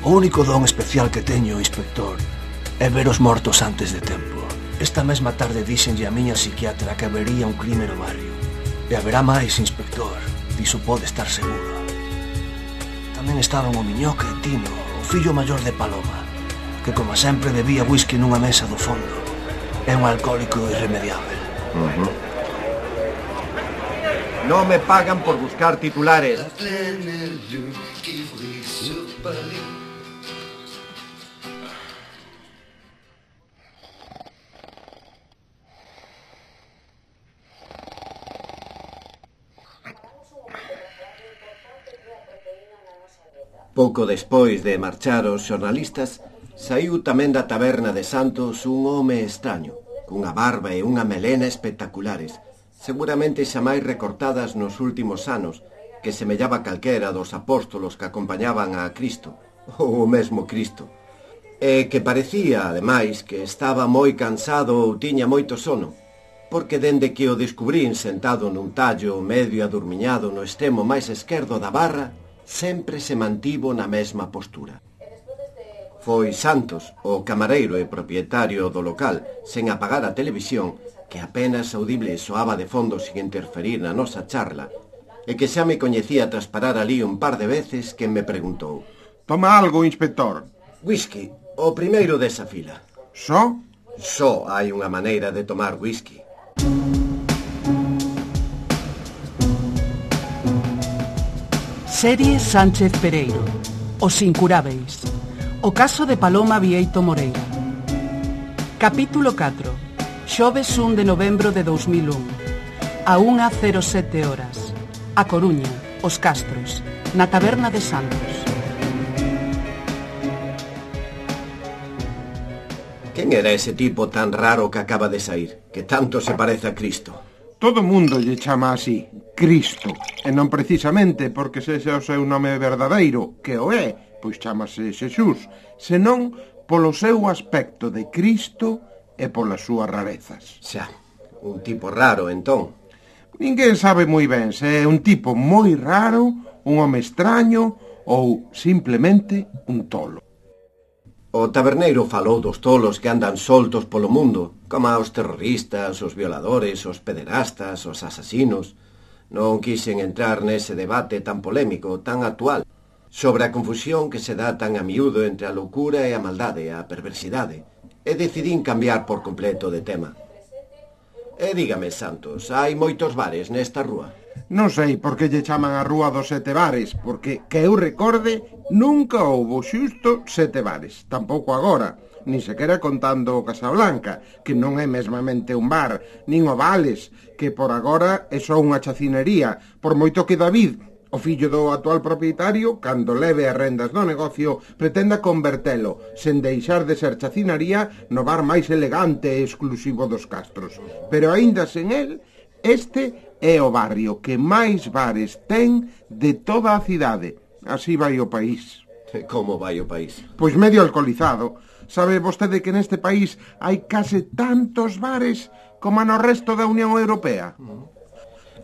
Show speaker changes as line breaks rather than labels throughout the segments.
O único don especial que teño, inspector, é ver os mortos antes de tempo. Esta mesma tarde díxenlle a miña psiquiatra que habería un crime no barrio. E haberá máis, inspector. Diso pode estar seguro. Tamén estaban o Miñoca e Tino, o fillo maior de Paloma, que como sempre bebía whisky nunha mesa do fondo. É un alcohólico irremediable.
Non me pagan por buscar titulares. Pouco despois de marchar os xornalistas, saiu tamén da taberna de Santos un home extraño, cunha barba e unha melena espectaculares, seguramente xa máis recortadas nos últimos anos, que semellaba calquera dos apóstolos que acompañaban a Cristo, ou o mesmo Cristo, e que parecía, ademais, que estaba moi cansado ou tiña moito sono, porque dende que o descubrín sentado nun tallo medio adurmiñado no extremo máis esquerdo da barra, sempre se mantivo na mesma postura. Foi Santos, o camareiro e propietario do local, sen apagar a televisión, que apenas audible soaba de fondo sin interferir na nosa charla, e que xa me coñecía tras parar ali un par de veces, que me preguntou:
Toma algo, inspector.
Whisky, o primeiro desa fila.
Só?
Só hai unha maneira de tomar whisky.
Serie Sánchez Pereiro, Os Incurábeis. O caso de Paloma Vieito Moreira. Capítulo 4. Xoves 1 de novembro de 2001. A 1:07 horas. A Coruña, Os Castros, na taberna de Santos.
Quen era ese tipo tan raro que acaba de sair, que tanto se parece a Cristo?
Todo mundo lle chama así, Cristo, e non precisamente porque sexa o seu nome verdadeiro, que o é, pois chámase Xesús, senón polo seu aspecto de Cristo e polas súas rarezas.
Xa, un tipo raro, entón.
Ninguén sabe moi ben se é un tipo moi raro, un home extraño ou simplemente un tolo.
O taberneiro falou dos tolos que andan soltos polo mundo, como os terroristas, os violadores, os pederastas, os asasinos. Non quixen entrar nese debate tan polémico, tan actual, sobre a confusión que se dá tan a miúdo entre a loucura e a maldade, a perversidade, e decidín cambiar por completo de tema. E dígame, Santos, hai moitos bares nesta rúa?
Non sei por que lle chaman a Rúa dos Sete Bares, porque, que eu recorde, nunca houbo xusto 7 bares, tampouco agora, nin sequera contando o Casablanca, que non é mesmamente un bar, nin o Vales, que por agora é só unha chacinería, por moito que David, o fillo do actual propietario, cando leve as rendas do negocio, pretenda convertelo, sen deixar de ser chacinaría, no bar máis elegante e exclusivo dos Castros. Pero aínda sen el, este é o barrio que máis bares ten de toda a cidade. Así vai o país.
Como vai o país?
Pois medio alcoholizado. Sabe vostede que neste país hai case tantos bares como no resto da Unión Europea?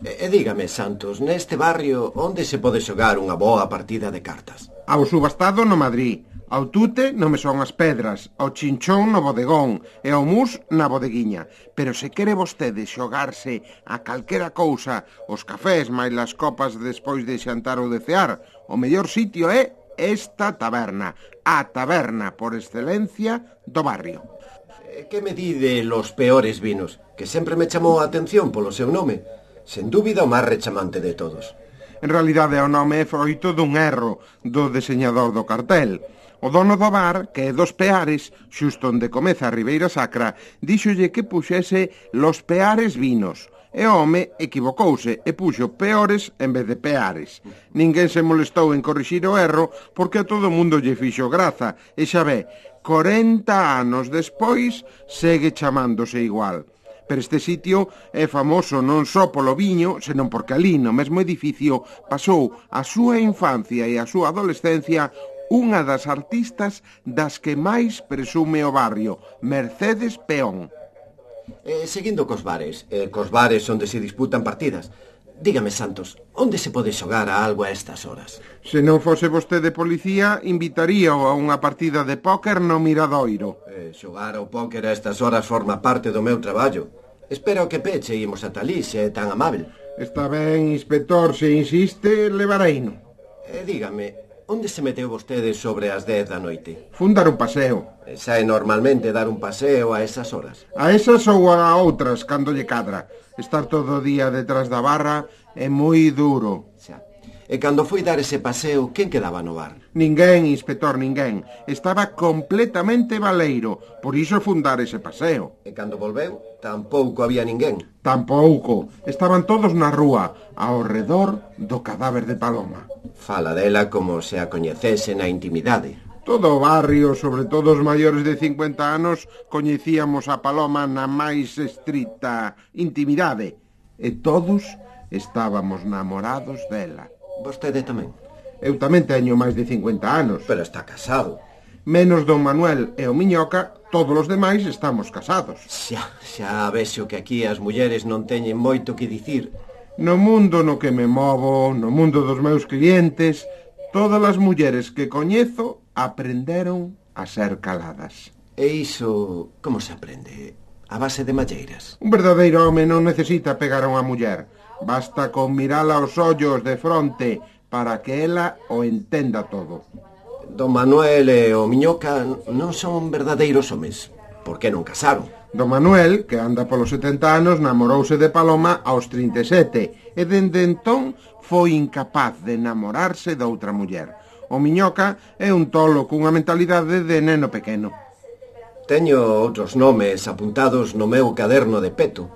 E dígame, Santos, neste barrio onde se pode xogar unha boa partida de cartas?
Ao subastado no Madrid, ao tute no Mesón as Pedras, ao chinchón no bodegón e ao mus na bodeguiña. Pero se quere vostede xogarse a calquera cousa, os cafés máis las copas despois de xantar ou de cear, o mellor sitio é esta taberna, a taberna por excelencia do barrio.
Que me di de los peores vinos, que sempre me chamou a atención polo seu nome? Sen dúbida o máis rechamante de todos.
En realidade o nome é froito dun erro do deseñador do cartel. O dono do bar, que é dos Peares, xusto onde comeza a Ribeira Sacra, díxolle que puxese Los Peares Vinos. E o home equivocouse e puxo Peores en vez de Peares. Ninguén se molestou en corrixir o erro porque a todo mundo lle fixo graza. E xa ve, 40 anos despois segue chamándose igual. Pero este sitio é famoso non só polo viño, senón porque ali no mesmo edificio pasou a súa infancia e a súa adolescencia unha das artistas das que máis presume o barrio, Mercedes Peón.
Seguindo cos bares onde se disputan partidas, Dígame, Santos, onde se pode xogar a algo a estas horas?
Se non fose vostede policía, invitaríao a unha partida de póker no Miradoiro.
Xogar ao póker a estas horas forma parte do meu traballo. Espero que peche e imos ata ali, se é tan amável.
Está ben, inspector, se insiste, levareino.
Dígame, onde se meteu vostede sobre as 10 da noite?
Fun dar un paseo.
Sae normalmente dar un paseo a esas horas?
A esas ou a outras, cando lle cadra. Estar todo o día detrás da barra é moi duro.
Xa. E cando foi dar ese paseo, quen quedaba no bar?
Ninguén, inspector, ninguén. Estaba completamente baleiro, por iso fun dar ese paseo.
E cando volveu, tampouco había ninguén?
Tampouco. Estaban todos na rúa, ao redor do cadáver de Paloma.
Fala dela como se a coñecese na intimidade.
Todo o barrio, sobre todo os maiores de 50 anos, coñecíamos a Paloma na máis estrita intimidade. E todos estábamos namorados dela.
Vostede tamén?
Eu tamén teño máis de 50 anos.
Pero está casado.
Menos don Manuel e o Miñoca, todos os demais estamos casados.
Xa vexo que aquí as mulleres non teñen moito que dicir.
No mundo no que me movo, no mundo dos meus clientes, todas as mulleres que coñezo aprenderon a ser caladas.
E iso, como se aprende? A base de malleiras?
Un verdadeiro home non necesita pegar a unha muller. Basta con mirala aos ollos de fronte para que ela o entenda todo.
Don Manuel e o Miñoca non son verdadeiros homes. Por que non casaron?
Don Manuel, que anda polos 70 anos, namorouse de Paloma aos 37 e dende entón foi incapaz de namorarse de outra muller. O Miñoca é un tolo cunha mentalidade de neno pequeno.
Teño outros nomes apuntados no meu caderno de peto.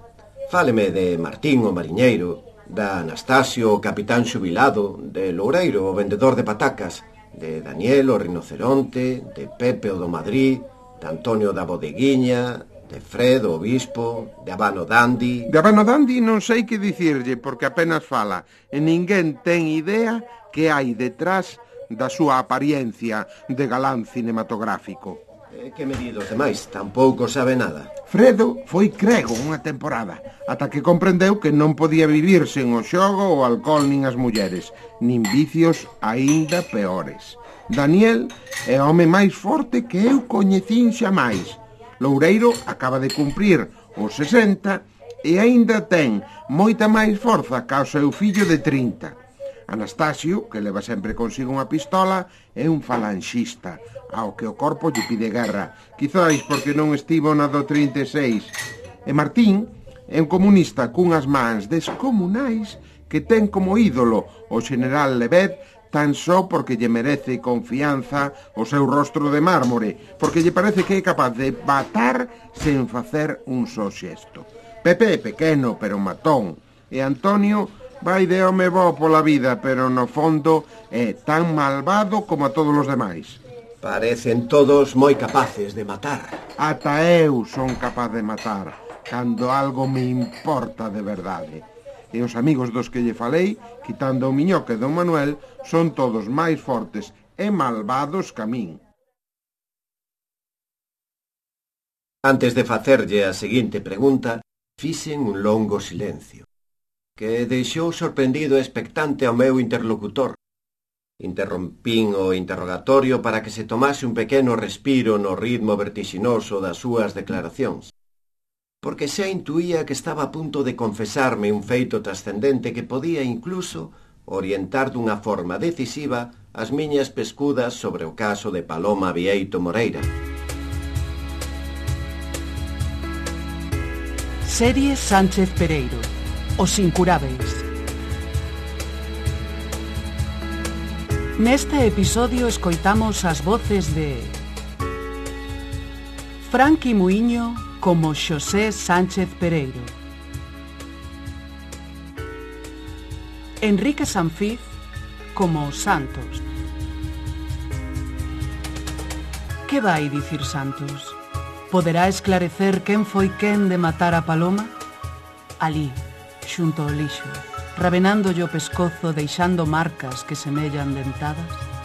Fáleme de Martín o mariñeiro, da Anastasio o capitán xubilado, de Loureiro o vendedor de patacas, de Daniel o rinoceronte, de Pepe o do Madrid, de Antonio da bodeguiña, de Fred o obispo, de Habano Dandi...
De Habano Dandi non sei que dicirlle, porque apenas fala, e ninguén ten idea que hai detrás da súa apariencia de galán cinematográfico.
Que me di dos demais? Tampouco sabe nada.
Fredo foi crego unha temporada, ata que comprendeu que non podía vivir sen o xogo, o alcohol nin as mulleres, nin vicios aínda peores. Daniel é o home máis forte que eu coñecín xamais. Loureiro acaba de cumprir os 60 e aínda ten moita máis forza ca o seu fillo de 30. Anastasio, que leva sempre consigo unha pistola, é un falanxista, ao que o corpo lle pide guerra, quizáis porque non estivo na do 36. E Martín é un comunista cunhas mans descomunais que ten como ídolo o general Levet tan só porque lle merece confianza o seu rostro de mármore, porque lle parece que é capaz de matar sen facer un só xesto. Pepe é pequeno, pero matón, e Antonio vai de home bo pola vida, pero no fondo é tan malvado como a todos os demais.
Parecen todos moi capaces de matar.
Ata eu son capaz de matar, cando algo me importa de verdade. E os amigos dos que lle falei, quitando o Miñoca e don Manuel, son todos máis fortes e malvados que a min.
Antes de facerlle a seguinte pregunta, fixen un longo silencio, que deixou sorprendido e expectante ao meu interlocutor. Interrompín o interrogatorio para que se tomase un pequeno respiro no ritmo vertixinoso das súas declaracións, porque xa intuía que estaba a punto de confesarme un feito trascendente que podía incluso orientar dunha forma decisiva as miñas pescudas sobre o caso de Paloma Bieito Moreira.
Serie Sánchez Pereiro, Os Incurábeis. Neste episodio escoitamos as voces de Franqui Muiño como Xosé Sánchez Pereiro, Enrique Sanfiz como Santos. Que vai dicir Santos? Poderá esclarecer quen foi quen de matar a Paloma? Alí, xunto ao lixo, rabenándolle o pescozo deixando marcas que semellan dentadas?